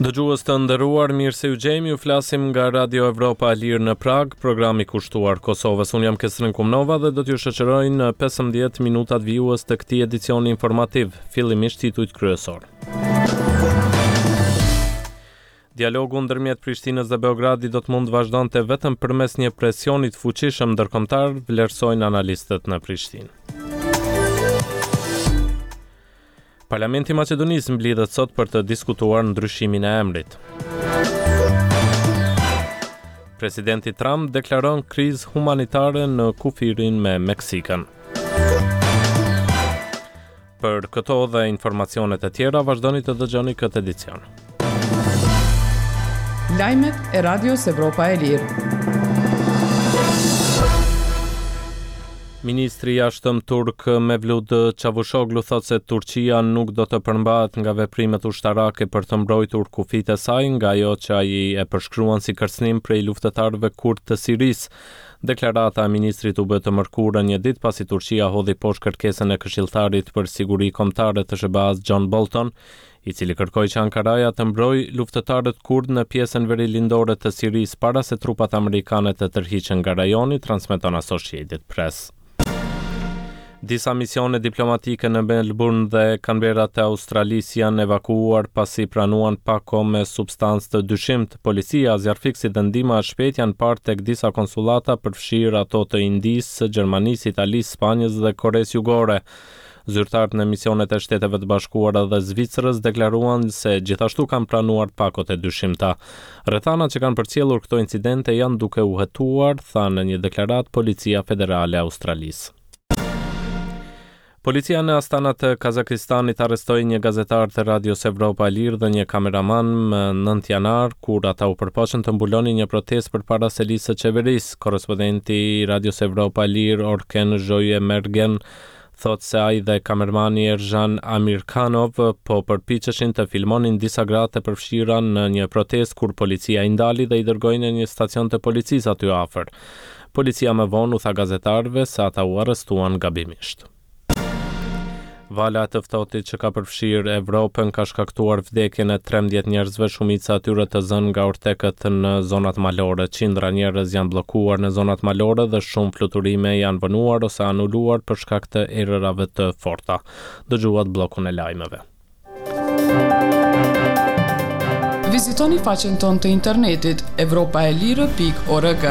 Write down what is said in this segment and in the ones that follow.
Dëgjues të nderuar, mirë se ju gjejmë, ju flasim nga Radio Evropa e Lirë në Pragë, programi kushtuar Kosovës. Unë jam Kesrin Kumnova dhe do t'ju shoqëroj në 15 minutat vijues të këtij edicioni informativ, fillimisht titujt kryesorë. Dialogu ndërmjet Prishtinës dhe Beogradit do të mund të vazhdonte vetëm përmes një presioni të fuqishëm ndërkombëtar, vlerësojnë analistët në Prishtinë. Parlamenti i Maqedonisë mblidhet sot për të diskutuar ndryshimin e emrit. Presidenti Trump deklaron krizë humanitare në kufirin me Meksikën. Për këto dhe informacionet e tjera vazhdoni të dëgjoni këtë edicion. Lajmet e Radios Evropa e Lirë. Ministri i Jashtëm turk Mevlut Çavushoglu thotë se Turqia nuk do të përmbahet nga veprimet ushtarake për të mbrojtur kufijtë e saj nga ajo që ai e përshkruan si kërcënim prej luftëtarëve kurdë të Sirisë. Deklarata e ministrit u bë të mërkurën një ditë pasi Turqia hodhi poshtë kërkesën e këshilltarit për siguri kombëtare të SHBA-së John Bolton, i cili kërkoi që Ankaraja të mbrojë luftëtarët kurdë në pjesën verilindore të Sirisë para se trupat amerikane të tërhiqen nga rajoni, transmeton Associated Press. Disa misione diplomatike në Melbourne dhe Canberra të Australisë janë evakuuar pasi pranuan pako me substancë të dyshimtë. Policia, zjarrfikësit dhe ndihma e shpejtë janë parë tek disa konsullata, përfshirë ato të Indisë, Gjermanisë, Italisë, Spanjës dhe Koresë Jugore. Zyrtarët në misionet e Shteteve të Bashkuara dhe Zvicrës deklaruan se gjithashtu kanë pranuar pakot e dyshimta. Rrethanat që kanë përcjellur këto incidente janë duke u hetuar, tha në një deklaratë Policia Federale e Australisë. Policia në Astana të Kazakistanit arrestoi një gazetar të Radios Evropa e Lirë dhe një kameraman më 9 janar, kur ata u përpoqën të mbulonin një protestë përpara selisë së qeverisë. Korrespondenti i Radios Evropa e Lirë, Orken Zhoemergen, thotë se ai dhe kamermani Erzhan Amirkhanov po përpiqeshin të filmonin disa gra të përfshira në një protestë kur policia i ndali dhe i dërgoi në një stacion të policisë aty afër. Policia më vonë u tha gazetarëve se ata u arrestuan gabimisht. Vala e të ftohtit që ka përfshirë Evropën ka shkaktuar vdekjen e 13 njerëzve, shumica e tyre të zënë nga ortekët në zonat malore. Qindra njerëz janë bllokuar në zonat malore dhe shumë fluturime janë vonuar ose anuluar për shkak të erërave të forta. Dëgjuat bllokun e lajmeve. Vizitoni faqen tonë të internetit evropaelire.org.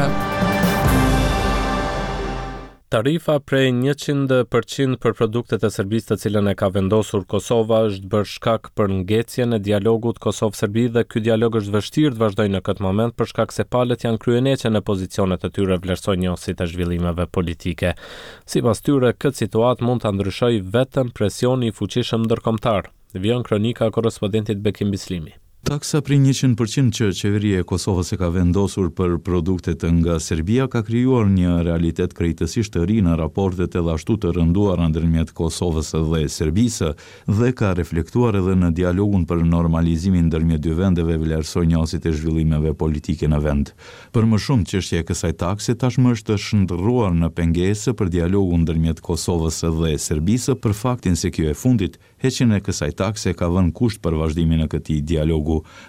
Tarifa prej 100% për produktet e Serbisë të cilën e ka vendosur Kosova është bërë shkak për ngecjen e dialogut Kosovë-Serbi dhe ky dialog është vështirë të vazhdojë në këtë moment për shkak se palët janë kryeneçe në pozicionet e tyre, vlerësojnë njohësit e zhvillimeve politike. Sipas tyre, këtë situatë mund ta ndryshojë vetëm presioni i fuqishëm ndërkombëtar. Vijon kronika e korrespondentit Bekim Bislimi. Taksa prej 100% që Qeveria e Kosovës e ka vendosur për produktet nga Serbia ka krijuar një realitet krejtësisht të ri në raportet edhe ashtu të rënduara ndërmjet Kosovës dhe Serbisë dhe ka reflektuar edhe në dialogun për normalizimin ndërmjet dy vendeve, vlerësojnë njohësit e zhvillimeve politike në vend. Për më shumë, çështja e kësaj takse tashmë është shndërruar në pengesë për dialogun ndërmjet Kosovës dhe Serbisë për faktin se kjo e fundit, heqjen e kësaj takse e ka vënë kusht për vazhdimin e këtij dialogu.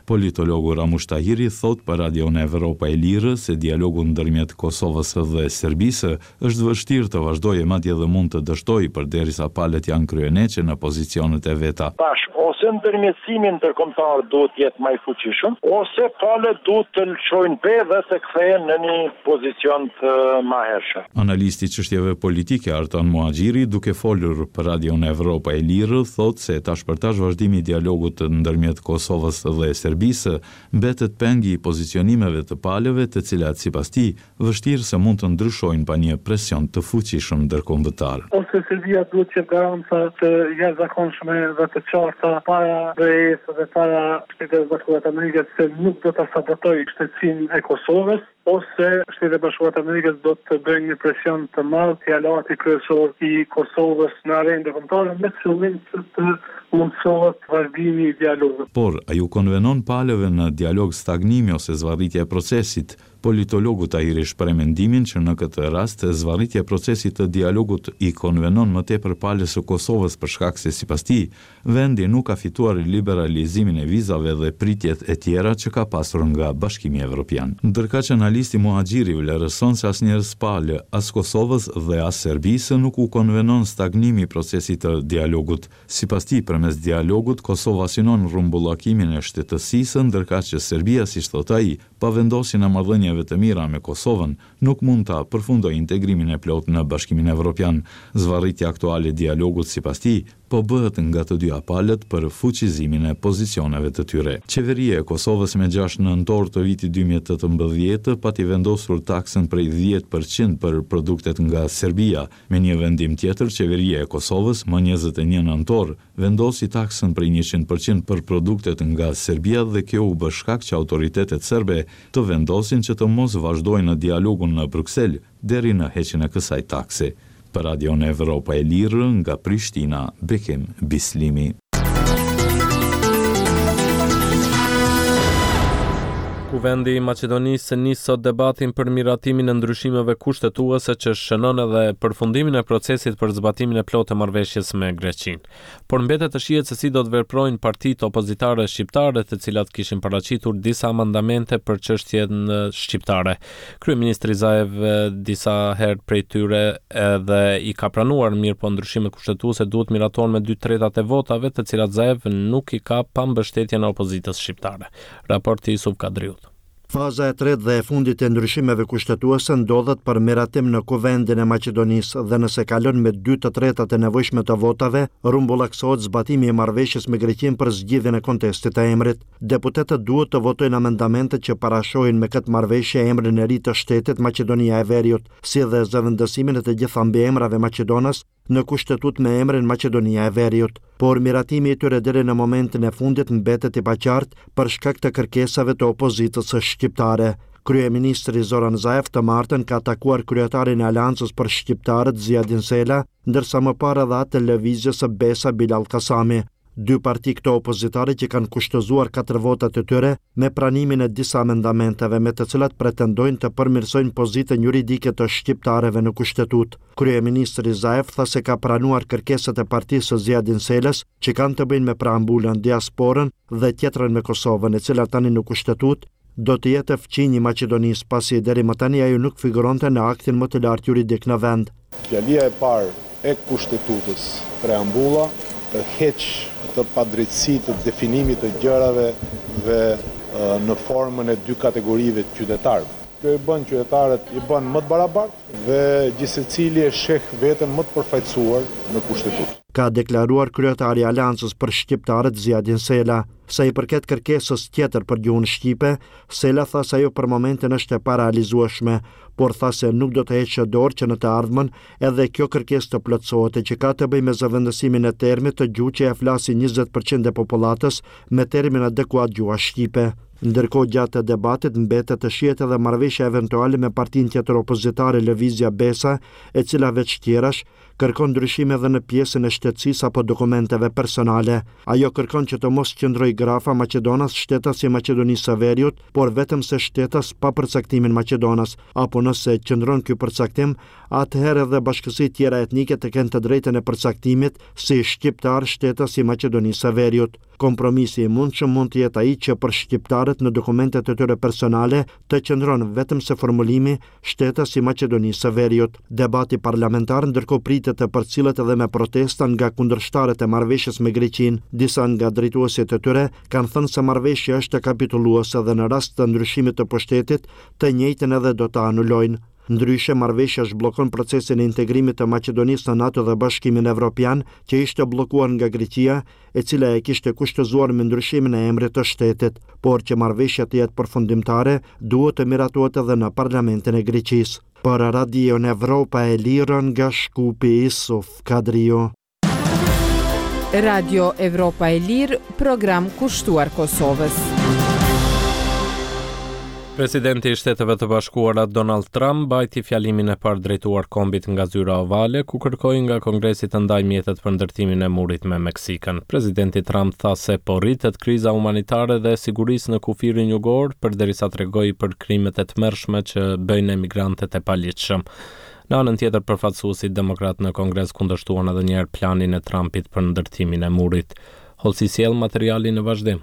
Politologu Ramush Tahiri thotë për Radion Evropa e Lirë se dialogu ndërmjet Kosovës dhe Serbisë është vështirë të vazhdojë e madje edhe mund të dështojë përderisa palët janë kryeneçe në pozicionet e veta. Tash, ose ndërmjetësimi ndërkombëtar duhet të jetë ma i fuqishëm, ose palët duhet të lëshojnë pe dhe të kthehen në një pozicion të mahershëm. Analisti i çështjeve politike, Artan Muhaxhiri, duke folur për Radion Evropa e Lirë, thotë se tash për tash vazhdimi i dialogut ndërmjet Kosovës dhe Serbisë mbetet peng i pozicionimeve të palëve, të cilat, sipas tij, vështirë se mund të ndryshojnë pa një presion të fuqishëm ndërkombëtar. Ose Serbia duhet të jep garanca të jashtëzakonshme dhe të qarta para BE-së dhe para Shteteve të Bashkuara të Amerikës se nuk do ta sabotojë shtetësinë e Kosovës. Ose Shtetet e Bashkuara të Amerikës do të bëjnë një presion të madh si aleati kryesor i Kosovës në arenën ndërkombëtare me qëllim që të mundësohet vazhdimi i dialogut. Por, a ju konvenon palëve në dialog stagnimi ose zvarritja e procesit? Politologu Tahiri shpreh mendimin që në këtë rast zvarritja e procesit të dialogut i konvenon më tepër palës së Kosovës për shkak se sipas tij, Vendi nuk ka fituar liberalizimin e vizave dhe pritjet e tjera që ka pasur nga Bashkimi Evropian. Ndërkaq analisti Muhaxhiri vlerëson se asnjërës palë, as Kosovës dhe as Serbisë nuk u konvenon stagnimi i procesit të dialogut. Sipas tij, përmes dialogut Kosova synon rrumbullakimin e shtetësisë, ndërkaq që Serbia, siç thotë ai, pa vendosjen e marrëdhënieve të mira me Kosovën, nuk mund ta përfundojë integrimin e plotë në Bashkimin Evropian. Zvarritja aktuale e dialogut, sipas tij, po bëhet nga të dyja palët për fuqizimin e pozicioneve të tyre. Qeveria e Kosovës me gjashtë nëntor të vitit 2018 pati vendosur taksën prej 10% për produktet nga Serbia. Me një vendim tjetër, Qeveria e Kosovës më 21 nëntor vendosi taksën prej 100% për produktet nga Serbia dhe kjo u bë shkak që autoritetet serbe të vendosin që të mos vazhdojnë dialogun në Bruksel deri në heqjen e kësaj takse. Për Radion Evropa e Lirë, nga Prishtina, Bekim Bislimi. Kuvendi i Maqedonisë nis sot debatin për miratimin e ndryshimeve kushtetuese që shënon edhe përfundimin e procesit për zbatimin e plotë të marrëveshjes me Greqinë. Por mbetet të shihet se si do të veprojnë partitë opozitare shqiptare, të cilat kishin paraqitur disa amendamente për çështjen shqiptare. Kryeministri Zaev disa herë prej tyre edhe i ka pranuar, mirëpo ndryshimet kushtetuese duhet miratohen me 2/3 e votave, të cilat Zaev nuk i ka pa mbështetjen e opozitës shqiptare. Raporti i Isuf Kadriut. Faza e tretë dhe e fundit e ndryshimeve kushtetuese ndodhet për miratim në Kuvendin e Maqedonisë dhe nëse kalon me 2/3 e nevojshme të votave, rrumbullaksohet zbatimi i marrëveshjes me Greqinë për zgjidhjen e kontestit të emrit. Deputetët duhet të votojnë amendamentet që parashohin me këtë marrëveshje emrin e ri të shtetit Maqedonia e Veriut, si dhe zëvendësimin e të gjitha mbiemrave maqedonas në Kushtetutë me emrin Maqedonia e Veriut. Por miratimi i tyre deri në momentin e fundit mbetet i paqartë për shkak të kërkesave të opozitës shqiptare. Kryeministri Zoran Zaev të martën ka takuar kryetarin e Aleancës për Shqiptarët Ziadin Sela, ndërsa më parë edhe atë të Lëvizjes Besa Bilall Kasami. Dy parti këto opozitare që kanë kushtëzuar katër votat e tyre me pranimin e disa amendamenteve me të cilat pretendojnë të përmirësojnë pozitën juridike të shqiptarëve në Kushtetutë. Kryeministri Zaev tha se ka pranuar kërkesat e partisë së Ziadin Selës që kanë të bëjnë me preambulën, diasporën dhe tjetrën me Kosovën, e cila tani në Kushtetutë do të jetë fqinj i Maqedonisë, pasi deri më tani ajo nuk figuronte në aktin më të lartë juridik në vend. Fjalia e parë e Kushtetutës, preambula, heq atë padrejtësi të definimit të gjërave dhe në formën e dy kategorive të qytetarëve. Kjo i bën qytetarët i bën më të barabartë dhe gjithsecili e sheh veten më të përfaqësuar në Kushtetutë. Ka deklaruar kryetari i Aleancës për Shqiptarët, Ziadin Sela. Sa i përket kërkesës tjetër për gjuhën shqipe, Sela tha se ajo për momentin është e parealizueshme, por tha se nuk do të heqë dorë që në të ardhmen edhe kjo kërkesë të plotësohet e që ka të bëjë me zëvendësimin e termit të gjuhë që e flasin 20% e popullatës me termin adekuat gjuha shqipe. Ndërkohë gjatë debatit mbetet të shihet edhe marrëveshja eventuale me partinë tjetër opozitare Lëvizja Besa, e cila veç tjerash kërkon ndryshime edhe në pjesën e shtetësisë apo dokumenteve personale. Ajo kërkon që të mos qëndrojë grafa maqedonas shtetas i Maqedonisë së Veriut, por vetëm se shtetas pa përcaktimin maqedonas, apo nëse qëndron ky përcaktim, atëherë edhe bashkësitë tjera etnike të kenë të drejtën e përcaktimit si shqiptar shtetas i Maqedonisë së Veriut. Kompromisi i mundshëm mund të jetë ai që për shqiptarët në dokumentet e tyre personale të qëndron vetëm se formulimi shtetas i Maqedonisë së Veriut. Debati parlamentar ndërkohë pritet të përcillet edhe me protesta nga kundërshtarët e marrëveshjes me Greqinë. Disa nga drejtuesit e tyre kanë thënë se marrëveshja është kapitulluese dhe në rast të ndryshimit të pushtetit, të njëjtën edhe do ta anulojnë. Ndryshe, marrëveshja zhbllokon procesin e integrimit të Maqedonisë në NATO dhe Bashkimin Evropian, që ishte bllokuar nga Greqia, e cila e kishte kushtëzuar me ndryshimin e emrit të shtetit. Por që marrëveshja të jetë përfundimtare, duhet të miratohet edhe në Parlamentin e Greqisë. Për Radion Evropa e Lirë nga Shkupi, Isuf Kadriu. Radio Evropa e Lirë, program kushtuar Kosovës. Presidenti i Shteteve të Bashkuara Donald Trump mbajti fjalimin e parë drejtuar kombit nga zyra ovale, ku kërkoi nga Kongresi të ndajë mjetet për ndërtimin e murit me Meksikën. Presidenti Trump tha se po rritet kriza humanitare dhe e sigurisë në kufirin jugor, përderisa tregoi për krimet e tmerrshme që bëjnë emigrantët e paligjshëm. Në anën tjetër, përfaqësuesit demokratë në Kongres kundërshtuan edhe një herë planin e Trumpit për ndërtimin e murit. Hollësi sjell materiali në vazhdim.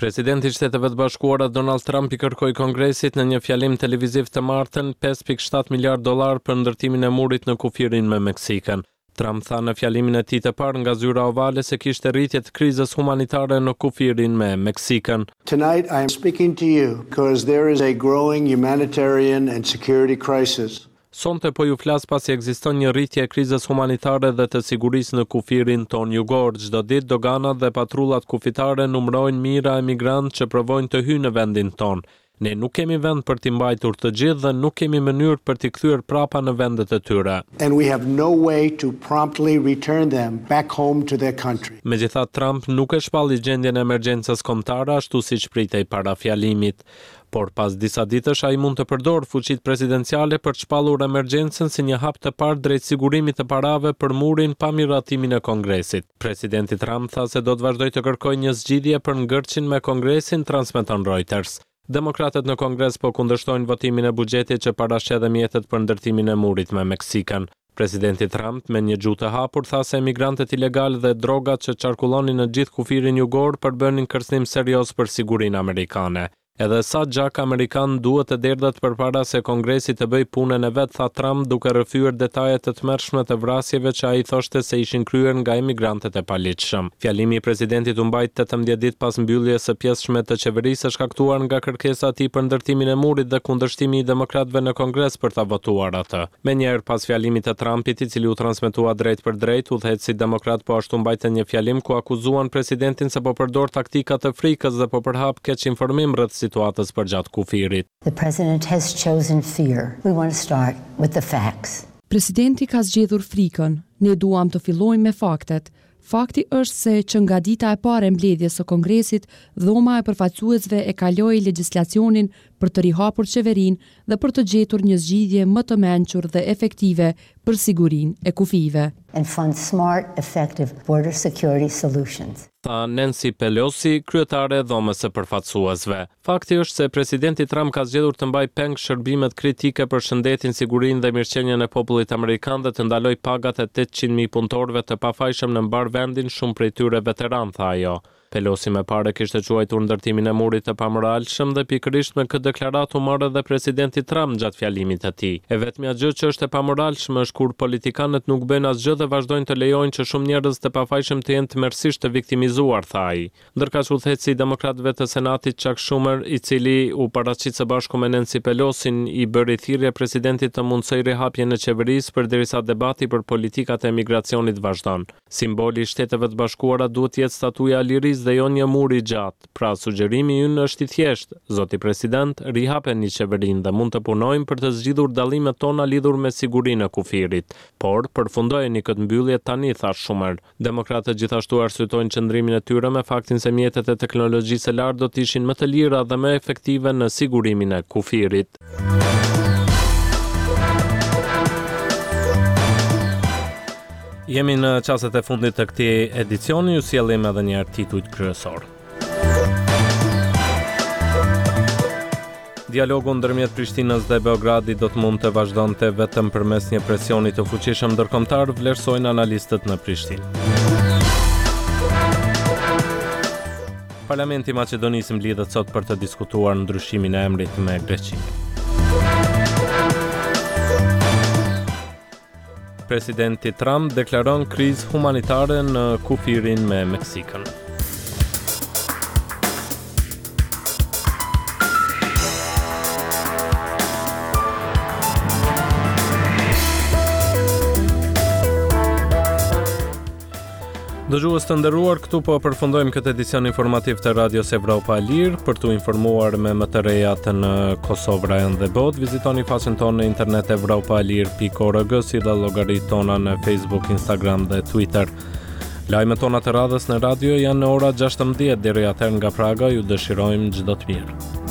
Presidenti i Shteteve të Bashkuara Donald Trump i kërkoi Kongresit në një fjalim televiziv të martën 5.7 miliardë dollarë për ndërtimin e murit në kufirin me Meksikën. Trump tha në fjalimin e tij të parë nga zyra ovale se kishte rritje të krizës humanitare në kufirin me Meksikën. Tonight I am speaking to you because there is a growing humanitarian and security crisis. Sonte po ju flas pasi ekziston një rritje e krizës humanitare dhe të sigurisë në kufirin tonë jugor. Çdo ditë doganat dhe patrullat kufitare numërojnë mijëra emigrantë që provojnë të hyjnë në vendin tonë. Ne nuk kemi vend për t'i mbajtur të gjithë dhe nuk kemi mënyrë për t'i kthyer prapa në vendet e tyre. And we have no way to promptly return them back home to their country. Megjithatë, Trump nuk e shpalli gjendjen e emergjencës kombëtare ashtu siç pritej para fjalimit. Por pas disa ditësh ai mund të përdorë fuqitë presidenciale për të shpallur emergjencën si një hap të parë drejt sigurimit të parave për murin pa miratimin e Kongresit. Presidenti Trump tha se do të vazhdojë të kërkojë një zgjidhje për ngërçin me Kongresin, transmeton Reuters. Demokratët në Kongres po kundërshtojnë votimin e buxhetit që parasheh dhe mjetet për ndërtimin e murit me Meksikën. Presidenti Trump, me një gjuhë të hapur, tha se emigrantët ilegalë dhe drogat që qarkullonin në gjithë kufirin jugor përbënin kërcënim serioz për sigurinë amerikane. Edhe sa gjak amerikan duhet të derdhet përpara se Kongresi të bëjë punën e vet, tha Trump, duke rrëfyer detaje të tmerrshme të vrasjeve që ai thoshte se ishin kryer nga emigrantët e paligjshëm. Fjalimi i presidentit u mbajt 18 ditë pas mbylljes së pjesshme të qeverisë së shkaktuar nga kërkesa e tij për ndërtimin e murit dhe kundërshtimi i demokratëve në Kongres për ta votuar atë. Menjëherë pas fjalimit të Trumpit, i cili u transmetua drejtpërdrejt, udhëheqësit demokratë po ashtu mbajtën një fjalim ku akuzuan presidentin se po përdor taktika të frikës dhe po përhap keqinformim rreth situatës përgjatë kufirit. The president has chosen fear. We want to start with the facts. Presidenti ka zgjedhur frikën. Ne duam të fillojmë me faktet. Fakti është se që nga dita e parë e mbledhjes së Kongresit, Dhoma e Përfaqësuesve e kaloi legjislacionin për të rihapur qeverinë dhe për të gjetur një zgjidhje më të mençur dhe efektive për sigurinë e kufijve. And fund smart, effective border security solutions. Tha Nancy Pelosi, kryetare e Dhomës së Përfaqësuesve. Fakti është se presidenti Trump ka zgjedhur të mbajë peng shërbimet kritike për shëndetin, sigurinë dhe mirëqenien e popullit amerikan dhe të ndalojë pagat e 800.000 punëtorëve të pafajshëm në mbarë vendin, shumë prej tyre veteranë, tha ajo. Pelosi më parë e kishte quajtur ndërtimin e murit të pamoralshëm dhe pikërisht me këtë deklaratë u mor edhe presidenti Trump gjatë fjalimit të tij. E vetmja gjë që është e pamoralshme është kur politikanët nuk bëjnë asgjë dhe vazhdojnë të lejojnë që shumë njerëz të pafajshëm të jenë tmerrësisht të viktimizuar, tha ai. Ndërkaq udhëheqësi i demokratëve të Senatit Chuck Schumer, i cili u paraqit së bashku me Nancy Pelosin, i bëri thirrje presidentit të mundësojë rihapjen e qeverisë përderisa debati për politikat e emigracionit vazhdon. Simboli i Shteteve të Bashkuara duhet të jetë statuja e lirisë dhe jo një mur i gjatë. Pra, sugjerimi ynë është i thjeshtë, zoti president, rihapeni qeverinë dhe mund të punojmë për të zgjidhur dallimet tona lidhur me sigurinë e kufirit. Por, përfundojeni këtë mbyllje tani, tha Schumer. Demokratët gjithashtu arsyetojnë qëndrimin e tyre me faktin se mjetet e teknologjisë së lartë do të ishin më të lira dhe më efektive në sigurimin e kufirit. Jemi në çastet e fundit të këtij edicioni, ju sjellim edhe një herë titujt kryesorë. Dialogu ndërmjet Prishtinës dhe Beogradit do të mund të vazhdonte vetëm përmes një presioni të fuqishëm ndërkombëtar, vlerësojnë analistët në Prishtinë. Parlamenti i Maqedonisë mblidhet sot për të diskutuar ndryshimin e emrit me Greqinë. Presidenti Trump deklaron krizë humanitare në kufirin me Meksikën. Dëgjues të nderuar, këtu po përfundojmë këtë edicion informativ të Radios Evropa e Lirë. Për t'u informuar me më të rejat në Kosovë, rajon dhe botë, vizitoni faqen tonë në internet evropaelire.org si dhe llogaritë tona në Facebook, Instagram dhe Twitter. Lajmet tona të radhës në radio janë në ora 16 deri atëherë nga Praga, ju dëshirojmë çdo të mirë.